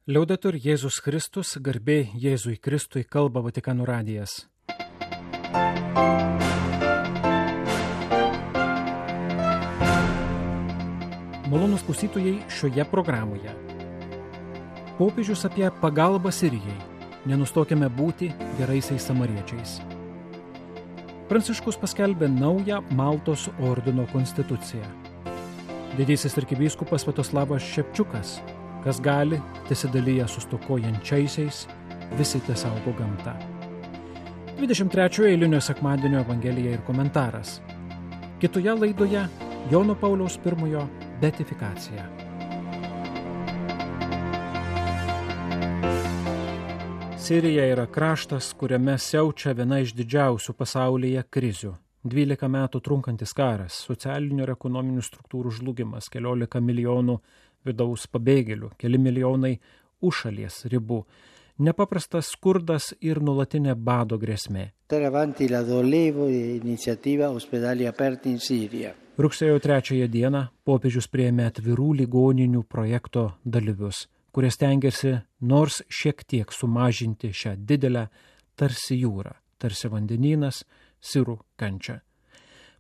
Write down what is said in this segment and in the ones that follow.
Liaudetur Jėzus Kristus, garbė Jėzui Kristui, kalba Vatikano radijas. Malonūs klausytojai šioje programoje. Popiežius apie pagalbą Sirijai. Nenustokime būti geraisiais samariečiais. Pranciškus paskelbė naują Maltos ordino konstituciją. Didysis arkivyskupas Sviatoslavas Šepčiukas, kas gali, tesidalyja su stokojančiaisiais, visi tesaugo gamtą. 23 eilinio sekmadienio evangelija ir komentaras. Kitoje laidoje Jono Pauliaus I beatifikacija. Sirija yra kraštas, kuriame siaučia viena iš didžiausių pasaulyje krizių. 12 metų trunkantis karas, socialinių ir ekonominių struktūrų žlugimas, 14 milijonų vidaus pabėgėlių, keli milijonai už šalies ribų, nepaprastas skurdas ir nuolatinė bado grėsmė. Rugsėjo 3 dieną popiežius priėmė atvirų ligoninių projekto dalyvius, kurie stengiasi nors šiek tiek sumažinti šią didelę tarsi jūrą, tarsi vandenynas, sirų kančią.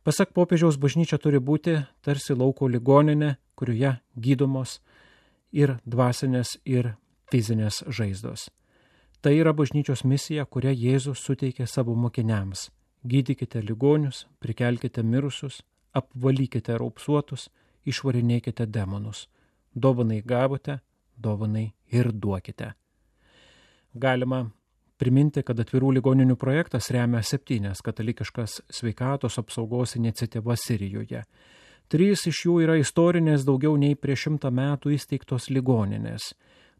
Pasak popiežiaus, bažnyčia turi būti tarsi lauko ligoninė, kurioje gydomos ir dvasinės, ir fizinės žaizdos. Tai yra bažnyčios misija, kurią Jėzus suteikė savo mokiniams. Gydykite ligonius, prikelkite mirusius, apvalykite raupsuotus, išvarinėkite demonus. Dovanai gavote, dovanai ir duokite. Galima priminti, kad atvirų ligoninių projektas remia 7 katalikiškas sveikatos apsaugos iniciatyvas Sirijoje. 3 iš jų yra istorinės, daugiau nei prieš 100 metų įsteigtos ligoninės.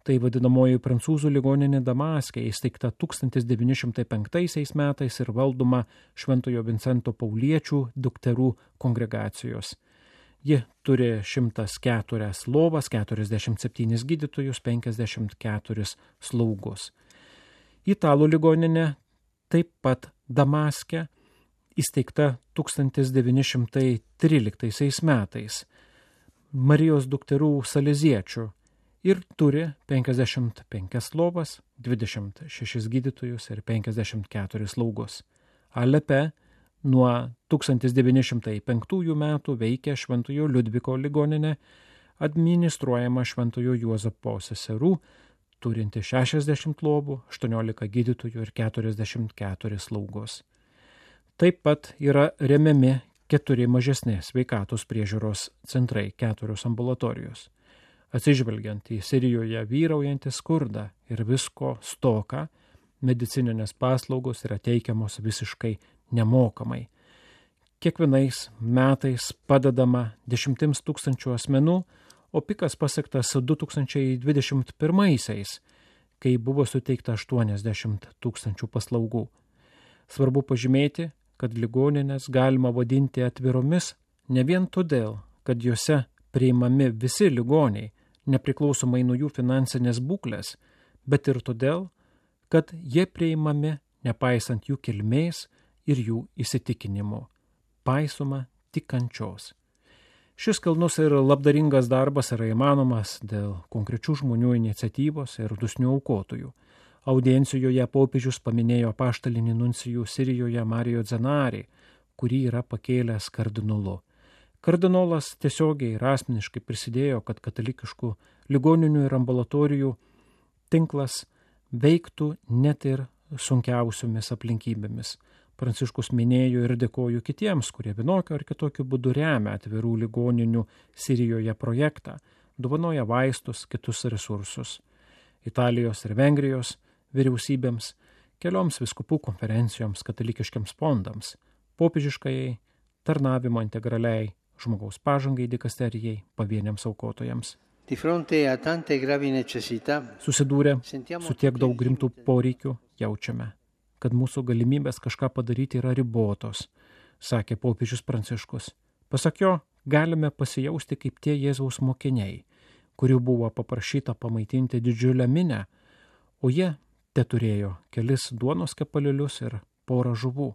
Tai vadinamoji prancūzų ligoninė Damaske, įsteigta 1905 metais ir valdoma Šventojo Vincento Pauliečių dukterų kongregacijos. Ji turi 104 lovas, 47 gydytojus, 54 slaugus. Italų ligoninė taip pat Damaske, įsteigta 1913 metais Marijos dukterų saleziečių ir turi 55 lovas, 26 gydytojus ir 54 slaugus. Alepe nuo 1905 metų veikia Šventojo Liudviko ligoninė, administruojama Šventojo Juozapo seserų, turinti 60 lovų, 18 gydytojų ir 44 slaugos. Taip pat yra remiami 4 mažesni sveikatos priežiūros centrai, 4 ambulatorijos. Atsižvelgiant į Sirijoje vyraujantį skurdą ir visko stoką, medicininės paslaugos yra teikiamos visiškai nemokamai. Kiekvienais metais padedama 10 000 asmenų, o pikas pasiektas 2021-aisiais, kai buvo suteikta 80 000 paslaugų. Svarbu pažymėti, kad ligoninės galima vadinti atviromis ne vien todėl, kad juose priimami visi ligoniai, nepriklausomai nuo jų finansinės būklės, bet ir todėl, kad jie priimami nepaisant jų kilmės ir jų įsitikinimų, paisoma tik kančios. Šis kilnus ir labdaringas darbas yra įmanomas dėl konkrečių žmonių iniciatyvos ir dosnių aukotojų. Audiencijoje popiežius paminėjo apaštalinį nuncijų Sirijoje Mario Zenari, kurį yra pakėlęs kardinolu. Kardinolas tiesiogiai ir asmeniškai prisidėjo, kad katalikiškų ligoninių ir ambulatorijų tinklas veiktų net ir sunkiausiomis aplinkybėmis. Pranciškus minėjo ir dėkoju kitiems, kurie vienokio ar kitokiu būdu remia atvirų ligoninių Sirijoje projektą, dovanoja vaistus, kitus resursus. Italijos ir Vengrijos vyriausybėms, kelioms vyskupų konferencijoms, katalikiškiams fondams, popiežiškajai, tarnavimo integraliai, žmogaus pažangai dikasterijai, pavieniams aukotojams. Susidūrę su tiek daug rimtų poreikių, jaučiame, kad mūsų galimybės kažką padaryti yra ribotos, sakė popiežius Pranciškus. Pasak jo, galime pasijausti kaip tie Jėzaus mokiniai, kurių buvo paprašyta pamaitinti didžiulę minią, o jie teturėjo kelis duonos kepalėlius ir porą žuvų.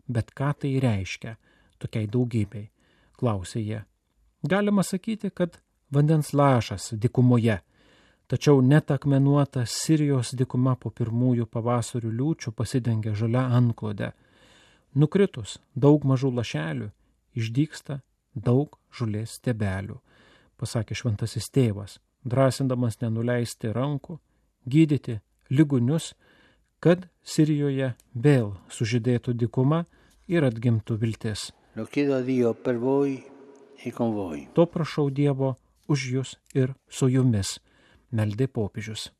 Bet ką tai reiškia tokiai daugybei, klausė jie. Galima sakyti, kad vandens lašas dykumoje, tačiau net akmenuota Sirijos dykuma po pirmųjų pavasarių liūčių pasidengia žalia anklode. Nukritus daug mažų lašelių, išdygsta daug žolės stiebelių, pasakė šventasis tėvas, drąsindamas nenuleisti rankų, gydyti ligonius, kad Sirijoje vėl sužydėtų dykuma ir atgimtų viltis. To prašau Dievo už jūs ir su jumis, meldė popiežius.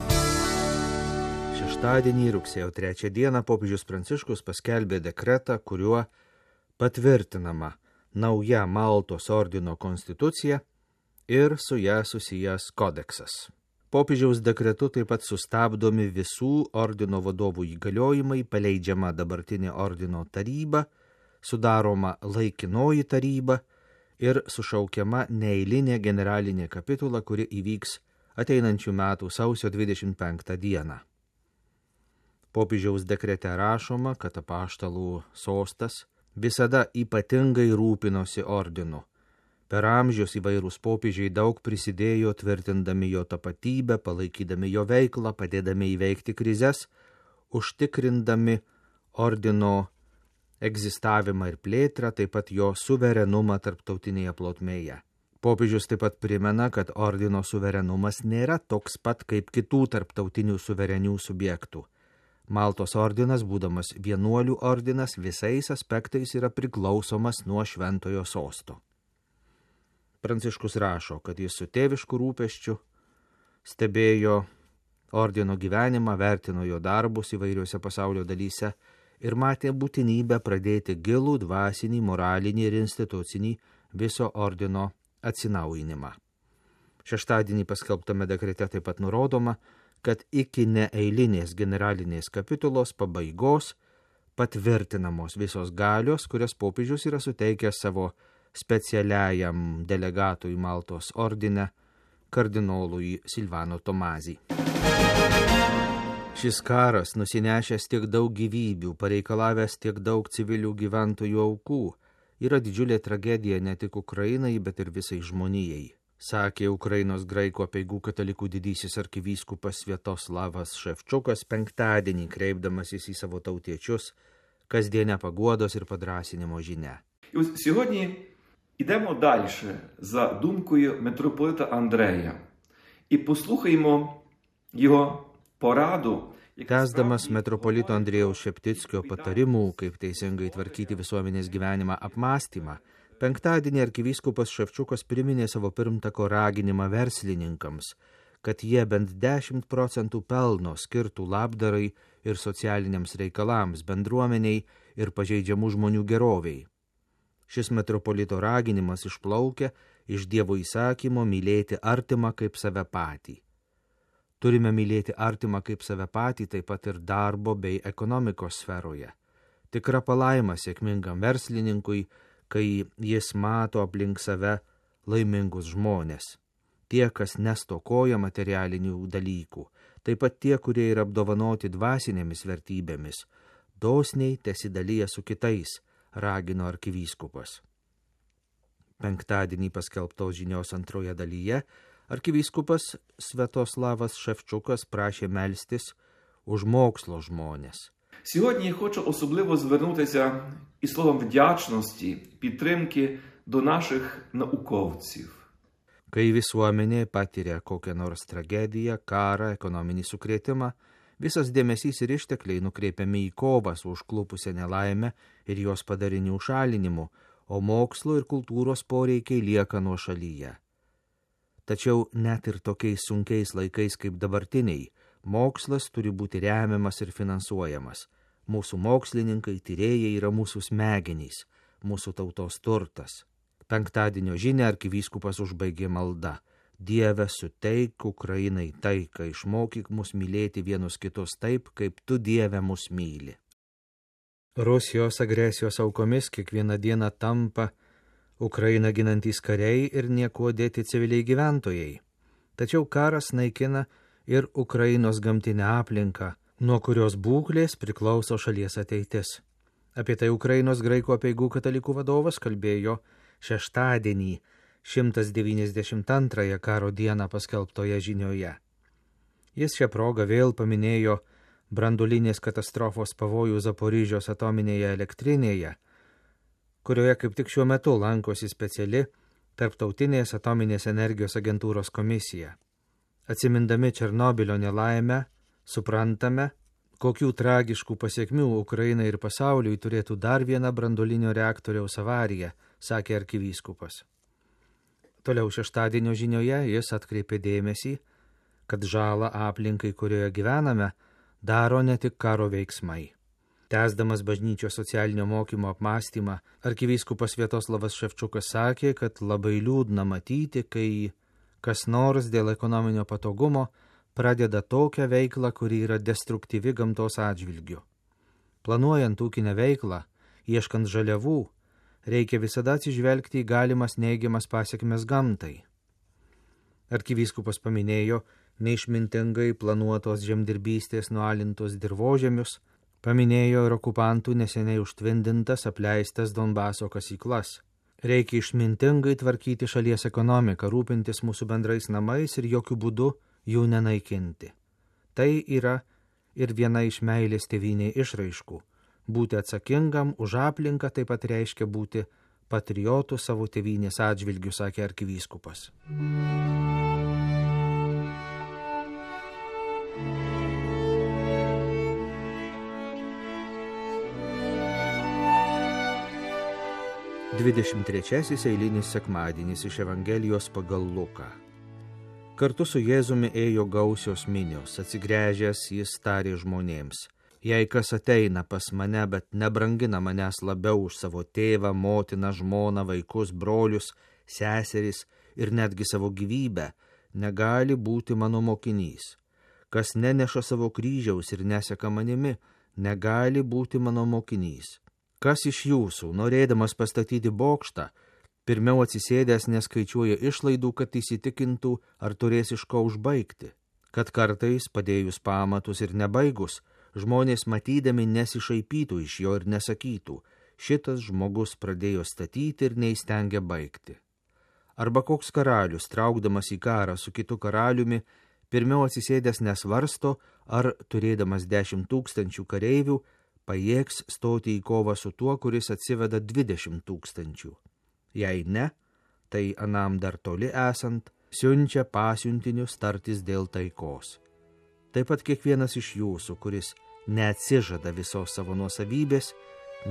Šeštadienį, rugsėjo 3 dieną, popiežius Pranciškus paskelbė dekretą, kuriuo patvirtinama nauja Maltos ordino konstitucija ir su ją susijęs kodeksas. Popiežiaus dekretu taip pat sustabdomi visų ordino vadovų įgaliojimai, paleidžiama dabartinė ordino taryba, sudaroma laikinoji taryba ir sušaukiama neeilinė generalinė kapitula, kuri įvyks ateinančių metų sausio 25 dieną. Popiežiaus dekrete rašoma, kad apaštalų sostas visada ypatingai rūpinosi ordinu. Per amžius įvairūs popiežiai daug prisidėjo tvirtindami jo tapatybę, palaikydami jo veiklą, padėdami įveikti krizes, užtikrindami ordino egzistavimą ir plėtrą, taip pat jo suverenumą tarptautinėje plotmėje. Popiežius taip pat primena, kad ordino suverenumas nėra toks pat kaip kitų tarptautinių suverenių subjektų. Maltos ordinas, būdamas vienuolių ordinas, visais aspektais yra priklausomas nuo šventojo sosto. Pranciškus rašo, kad jis su tėvišku rūpesčiu stebėjo ordino gyvenimą, vertino jo darbus įvairiuose pasaulio dalyse ir matė būtinybę pradėti gilų dvasinį, moralinį ir institucinį viso ordino atsinaujinimą. Šeštadienį paskelbtame dekrete taip pat nurodoma, kad iki neeilinės generalinės kapitulos pabaigos patvirtinamos visos galios, kurias popiežius yra suteikęs savo specialiajam delegatui Maltos ordine, kardinolui Silvano Tomazį. Šis karas, nusinešęs tiek daug gyvybių, pareikalavęs tiek daug civilių gyventojų aukų, yra didžiulė tragedija ne tik Ukrainai, bet ir visai žmonijai, sakė Ukrainos graikų apeigų katalikų didysis arkivyskupas Sviatoslavas Ševčukas penktadienį, kreipdamasis į savo tautiečius kasdienę paguodos і подрасіння життя. І ось сьогодні йдемо далі за думкою митрополита Андрея і послухаємо його pораду. Tęsdamas metropolito Andrėjaus Šeptickio patarimų, kaip teisingai tvarkyti visuomenės gyvenimą apmąstymą, penktadienį arkivyskupas Ševčukas priminė savo pirmtako raginimą verslininkams, kad jie bent 10% pelno skirtų labdarai ir socialiniams reikalams, bendruomeniai ir pažeidžiamų žmonių geroviai. Šis metropolito raginimas išplaukia iš Dievo įsakymo mylėti artimą kaip save patį. Turime mylėti artimą kaip save patį taip pat ir darbo bei ekonomikos sferoje. Tikra palaima sėkmingam verslininkui, kai jis mato aplink save laimingus žmonės. Tie, kas nestokoja materialinių dalykų, taip pat tie, kurie yra apdovanoti dvasinėmis vertybėmis, dosniai tesidalyja su kitais, ragino arkivyskupas. Penktadienį paskelbtos žinios antroje dalyje arkivyskupas Sviatoslavas Šевчуkas prašė melstis už mokslo žmonės. Сьогодні я хочу особливо звернутися із словом вдячності, підтримки до наших науковців. Kai visuomenė patiria kokią nors tragediją, karą, ekonominį sukrėtimą, visas dėmesys ir ištekliai nukreipiami į kovą su užklupusią nelaimę ir jos padarinių šalinimu, o mokslo ir kultūros poreikiai lieka nuošalyje. Tačiau net ir tokiais sunkiais laikais kaip dabartiniai, mokslas turi būti remiamas ir finansuojamas. Mūsų mokslininkai, tyrėjai yra mūsų smegenys, mūsų tautos turtas. Penktadienio žinią arkivyskupas užbaigė malda. Dieve, suteik Ukrainai taiką, išmokyk mus mylėti vienus kitus taip, kaip tu, Dieve, mus myli. Rusijos agresijos aukomis kiekvieną dieną tampa Ukrainą ginantys kariai ir niekuo dėti civiliai gyventojai. Tačiau karas naikina ir Ukrainos gamtinę aplinką, nuo kurios būklės priklauso šalies ateitis. Apie tai Ukrainos graikų apeigų katalikų vadovas kalbėjo šeštadienį 192 karo dieną paskelbtoje žinioje. Jis šią progą vėl paminėjo branduolinės katastrofos pavojų Zaporižios atominėje elektrinėje, kurioje kaip tik šiuo metu lankosi speciali Tarptautinės atominės energijos agentūros komisija. Atsimindami Černobylio nelaimę, suprantame, kokių tragiškų pasiekmių Ukrainai ir pasauliui turėtų dar viena branduolinio reaktoriaus avarija, sakė arkivyskupas. Toliau šeštadienio žinioje jis atkreipė dėmesį, kad žalą aplinkai, kurioje gyvename, daro ne tik karo veiksmai. Tęsdamas bažnyčios socialinio mokymo apmąstymą, arkivyskupas Sviatoslavas Ševčukas sakė, kad labai liūdna matyti, kai kas nors dėl ekonominio patogumo pradeda tokią veiklą, kuri yra destruktyvi gamtos atžvilgiu. Planuojant ūkinę veiklą, ieškant žaliavų, reikia visada atsižvelgti į galimas neigiamas pasiekmes gamtai. Arkivyskupas paminėjo neišmintingai planuotos žemdirbystės nualintos dirvožemius, paminėjo ir okupantų neseniai užtvindintas apleistas Donbaso kasyklas. Reikia išmintingai tvarkyti šalies ekonomiką, rūpintis mūsų bendrais namais ir jokių būdų jų nenaikinti. Tai yra ir viena iš meilės tėvynei išraiškų. Būti atsakingam už aplinką taip pat reiškia būti patriotų savo tėvynės atžvilgių, sakė arkivyskupas. Dvidešimt trečiasis eilinis sekmadienis iš Evangelijos pagal Luką. Kartu su Jėzumi ėjo gausios minios, atsigręžęs jis tarė žmonėms: jei kas ateina pas mane, bet nebrangina manęs labiau už savo tėvą, motiną, žmoną, vaikus, brolius, seseris ir netgi savo gyvybę, negali būti mano mokinys. Kas neneša savo kryžiaus ir neseka manimi, negali būti mano mokinys. Kas iš jūsų, norėdamas pastatyti bokštą, pirmiau atsisėdęs neskaičiuoja išlaidų, kad įsitikintų, ar turės iš ko užbaigti? Kad kartais, padėjus pamatus ir nebaigus, žmonės matydami nesišaipytų iš jo ir nesakytų: šitas žmogus pradėjo statyti ir neįstengia baigti. Arba koks karalius, traukdamas į karą su kitu karaliumi, pirmiau atsisėdęs nesvarsto, ar turėdamas 10 000 kareivių, pajėgs stoti į kovą su tuo, kuris atsiveda 20 000. Jei ne, tai anam dar toli esant, siunčia pasiuntinius tartis dėl taikos. Taip pat kiekvienas iš jūsų, kuris neatsižada visos savo nuosavybės,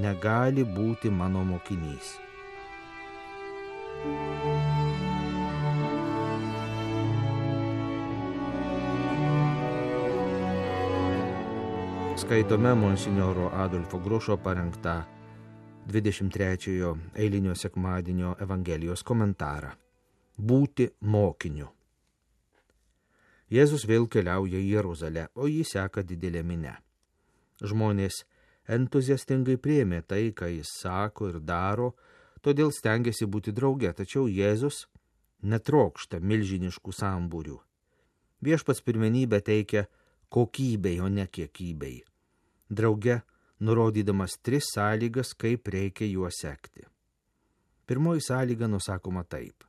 negali būti mano mokinys. Skaitome monsinjoro Adolfo Grušo parengtą 23 eilinio sekmadienio Evangelijos komentarą. Būti mokiniu. Jėzus vėl keliauja į Jeruzalę, o jį seka didelė minia. Žmonės entuziastingai priėmė tai, ką jis sako ir daro, todėl stengiasi būti drauge, tačiau Jėzus netrokšta milžiniškų sambūrių. Viešpats pirmenybę teikia kokybei, o ne kiekybei. Drauge nurodydamas 3 sąlygas, kaip reikia juos sekti. Pirmoji sąlyga nusakoma taip: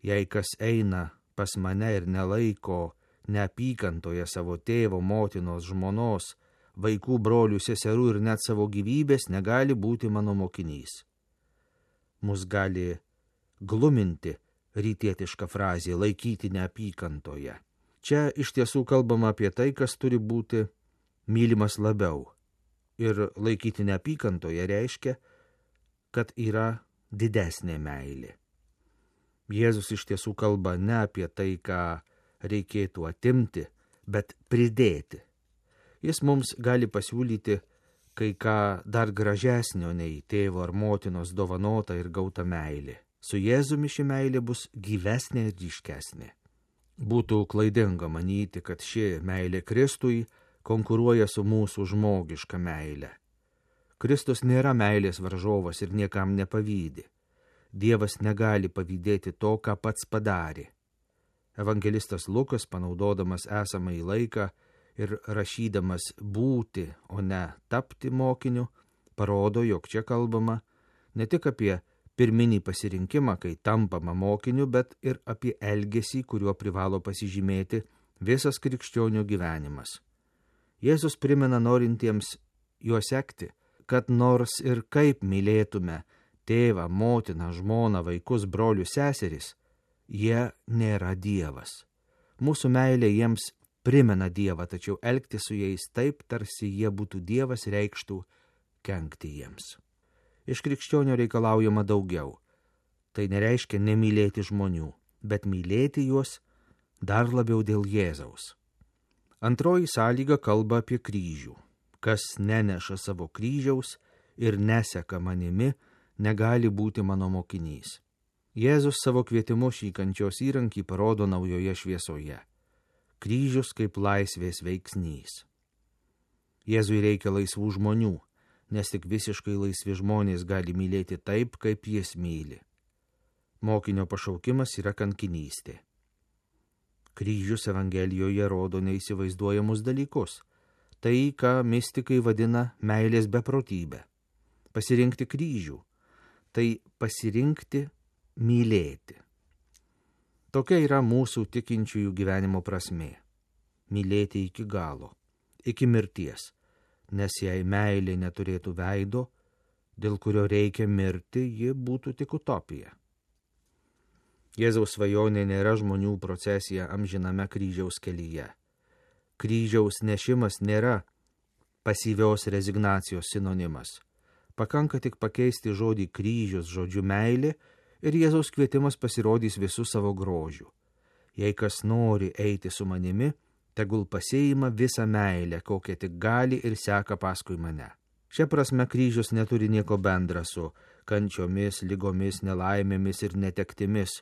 jei kas eina pas mane ir nelaiko neapykantoje savo tėvo, motinos, žmonos, vaikų, brolių, seserų ir net savo gyvybės, negali būti mano mokinys. Mus gali gluminti rytietiška frazė laikyti neapykantoje. Čia iš tiesų kalbama apie tai, kas turi būti mylimas labiau. Ir laikyti neapykantoje reiškia, kad yra didesnė meilė. Jėzus iš tiesų kalba ne apie tai, ką reikėtų atimti, bet pridėti. Jis mums gali pasiūlyti kai ką dar gražesnio nei tėvo ar motinos dovanota ir gauta meilė. Su Jėzumi ši meilė bus gyvesnė ir ryškesnė. Būtų klaidinga manyti, kad ši meilė Kristui konkuruoja su mūsų žmogiška meilė. Kristus nėra meilės varžovas ir niekam nepavydi. Dievas negali pavydėti to, ką pats padarė. Evangelistas Lukas, panaudodamas esamąjį laiką ir rašydamas būti, o ne tapti mokiniu, parodo, jog čia kalbama ne tik apie pirminį pasirinkimą, kai tampama mokiniu, bet ir apie elgesį, kuriuo privalo pasižymėti visas krikščionių gyvenimas. Jėzus primena norintiems juo sekti, kad nors ir kaip mylėtume tėvą, motiną, žmoną, vaikus, brolius, seseris, jie nėra Dievas. Mūsų meilė jiems primena Dievą, tačiau elgti su jais taip, tarsi jie būtų Dievas, reikštų kenkti jiems. Iš krikščionio reikalaujama daugiau. Tai nereiškia nemylėti žmonių, bet mylėti juos dar labiau dėl Jėzaus. Antroji sąlyga kalba apie kryžių. Kas neneša savo kryžiaus ir neseka manimi, negali būti mano mokinys. Jėzus savo kvietimu šį kančios įrankį parodo naujoje šviesoje. Kryžius kaip laisvės veiksnys. Jėzui reikia laisvų žmonių, nes tik visiškai laisvi žmonės gali mylėti taip, kaip jis myli. Mokinio pašaukimas yra kankinystė. Kryžius Evangelijoje rodo neįsivaizduojamus dalykus. Tai, ką mistikai vadina meilės beprotybė. Pasirinkti kryžių. Tai pasirinkti mylėti. Tokia yra mūsų tikinčiųjų gyvenimo prasmė. Mylėti iki galo, iki mirties. Nes jei meilė neturėtų veido, dėl kurio reikia mirti, ji būtų tik utopija. Jėzaus svajonė nėra žmonių procesija amžiname kryžiaus kelyje. Kryžiaus nešimas nėra pasyvios rezignacijos sinonimas. Pakanka tik pakeisti žodį kryžius žodžiu meilė ir Jėzaus kvietimas pasirodys visų savo grožių. Jei kas nori eiti su manimi, tegul pasiima visą meilę, kokią tik gali ir seka paskui mane. Šia prasme kryžius neturi nieko bendra su kančiomis, ligomis, nelaimėmis ir netektimis,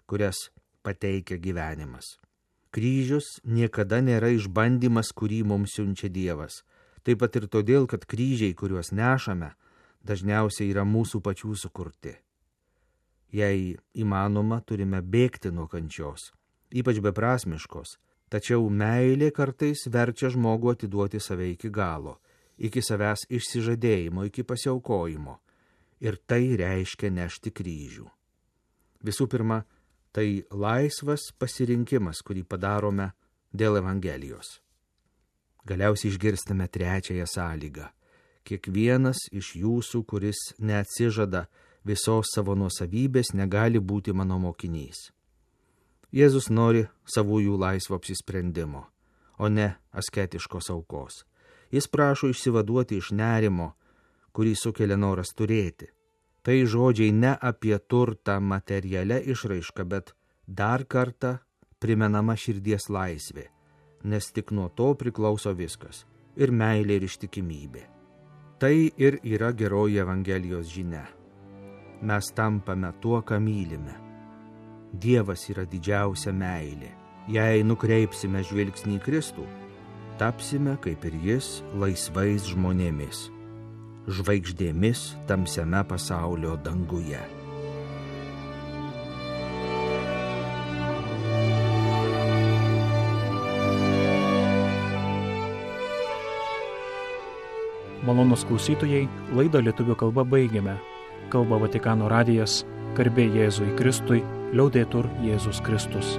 kurias pateikia gyvenimas. Kryžius niekada nėra išbandymas, kurį mums siunčia Dievas. Taip pat ir todėl, kad kryžiai, kuriuos nešame, dažniausiai yra mūsų pačių sukurti. Jei įmanoma, turime bėgti nuo kančios, ypač beprasmiškos, tačiau meilė kartais verčia žmogų atiduoti save iki galo, iki savęs išsižadėjimo, iki pasiaukojimo. Ir tai reiškia nešti kryžių. Visų pirma, tai laisvas pasirinkimas, kurį padarome dėl Evangelijos. Galiausiai išgirstame trečiąją sąlygą. Kiekvienas iš jūsų, kuris neatsižada visos savo nuosavybės, negali būti mano mokinys. Jėzus nori savųjų laisvo apsisprendimo, o ne asketiškos aukos. Jis prašo išsivaduoti iš nerimo, kurį sukelia noras turėti. Tai žodžiai ne apie turtą materialia išraiška, bet dar kartą primenama širdies laisvė, nes tik nuo to priklauso viskas – ir meilė, ir ištikimybė. Tai ir yra geroji Evangelijos žinia. Mes tampame tuo, ką mylime. Dievas yra didžiausia meilė. Jei nukreipsime žvilgsnį į Kristų, tapsime, kaip ir jis, laisvais žmonėmis. Žvaigždėmis tamsiame pasaulio danguje. Malonūs klausytojai, laidą lietuvių kalba baigiame. Kalba Vatikano radijas, garbė Jėzui Kristui, liaudetur Jėzus Kristus.